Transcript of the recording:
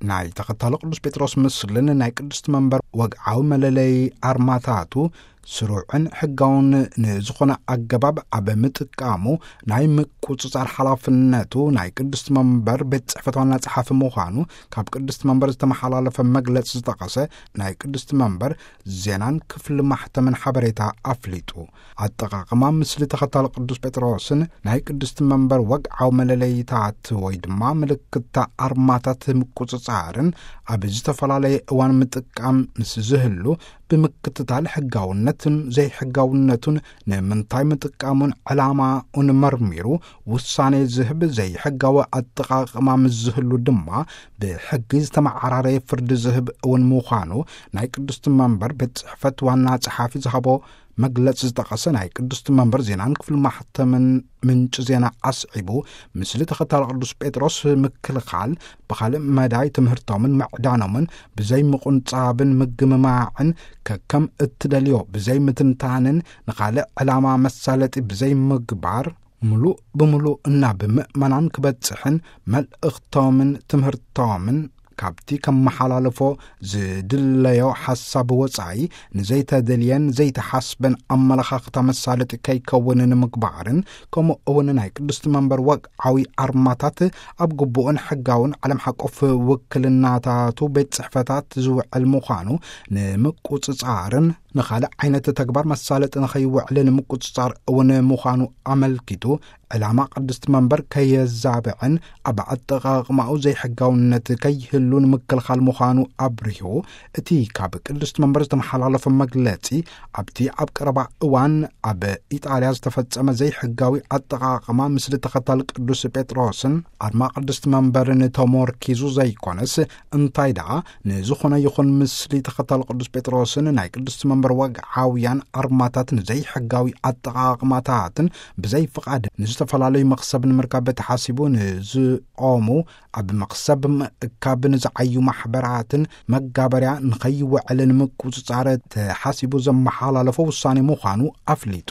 ናይ ተኸታሎ ቅዱስ ጴጥሮስ ምስልን ናይ ቅድስቲ መንበር ወግዓዊ መለለይ ኣርማታቱ ስሩዕን ሕጋውን ንዝኾነ ኣገባብ ኣብ ምጥቃሙ፣ ናይ ምቁጽጻር ሓላፍነቱ ናይ ቅድስቲ መንበር ቤት ጽሕፈት ዋና ጸሓፊ ምዃኑ ካብ ቅድስቲ መንበር ዝተመሓላለፈ መግለጺ ዝጠቐሰ ናይ ቅድስቲ መንበር ዜናን ክፍሊ ማሕተምን ሓበሬታ ኣፍሊጡ። ኣጠቓቕማ ምስሊ ተኸታሎ ቅዱስ ጴጥሮስን ናይ ቅድስቲ መንበር ወግዓዊ መለለይታት ወይ ድማ ምልክታ ኣርማታት ምቁጽጻርን ኣብ ዝተፈላለየ እዋን ምጥቃም ምስ ዝህሉ፣ ብምክትታል ሕጋውነትን ዘይሕጋውነቱን፣ ንምንታይ ምጥቃሙን ዕላማኡን መርሚሩ ውሳኔ ዝህብ፣ ዘይሕጋዊ ኣጠቓቕማ ምስ ዝህሉ ድማ ብሕጊ ዝተመዓራረየ ፍርዲ ዝህብ እውን ምዃኑ ናይ ቅድስቲ መንበር ቤት ጽሕፈት ዋና ጸሓፊ ዝሃቦ መግለጺ ዝጠቐሰ ናይ ቅድስቲ መንበር ዜናን ክፍሊ ማሕተምን ምንጪ ዜና ኣስዒቡ፣ ምስሊ ተኸታሎ ቅዱስ ጴጥሮስ ምክልኻል ብኻልእ መዳይ ትምህርቶምን ምዕዳኖምን ብዘይ ምቁንጻብን ምግምማዕን፣ ከከም እትደልዮ ብዘይ ምትንታንን፣ ንኻልእ ዕላማ መሳለጢ ብዘይ ምግባር፣ ምሉእ ብምሉእ እና ብምእመናን ክበጽሕን፣ መልእኽቶምን ትምህርቶምን ካብቲ ከመሓላልፎ ዝድለዮ ሓሳብ ወጻኢ ንዘይተደልየን ዘይተሓስበን ኣመለኻኽታ መሳለጢ ከይከውን ንምግባርን፣ ከምኡ እውን ናይ ቅድስቲ መንበር ወግዓዊ ኣርማታት ኣብ ግቡእን ሕጋውን ዓለም ሓቆፍ ውክልናታቱ ቤት ጽሕፈታት ዝውዕል ምዃኑ ንምቁጽጻርን፣ ንኻልእ ዓይነት ተግባር መሳለጢ ንኸይውዕል ንምቁጽጻር እውን ምዃኑ ኣመልኪቱ፣ ዕላማ ቅድስቲ መንበር ከየዛብዕን ኣብ ኣጠቓቕማኡ ዘይሕጋውነት ከይህሉ ንምክልኻል ምዃኑ ኣብሪሁ። እቲ ካብ ቅድስቲ መንበር ዝተመሓላለፈ መግለጺ፣ ኣብቲ ኣብ ቀረባ እዋን ኣብ ኢጣልያ ዝተፈጸመ ዘይሕጋዊ ኣጠቓቕማ ምስሊ ተኸታል ቅዱስ ጴጥሮስን ኣርማ ቅድስቲ መንበርን ተሞርኪዙ ዘይኮነስ፣ እንታይ ደኣ ንዝኾነ ይኹን ምስሊ ተኸታል ቅዱስ ጴጥሮስን ናይ ቅድስቲ መንበር ወግዓውያን ኣርማታት ንዘይሕጋዊ ኣጠቓቕማታትን ብዘይ ፍቓድ ንዝተፈላለዩ መኽሰብ ንምርካብ ተሓሲቡ ንዝቖሙ፣ ኣብ መኽሰብ ምእካብ ንዝዓዩ ማሕበራትን መጋበርያ ንኸይውዕልን ምቁጽጻር ተሓሲቡ ዘመሓላለፎ ውሳኔ ምዃኑ ኣፍሊጡ።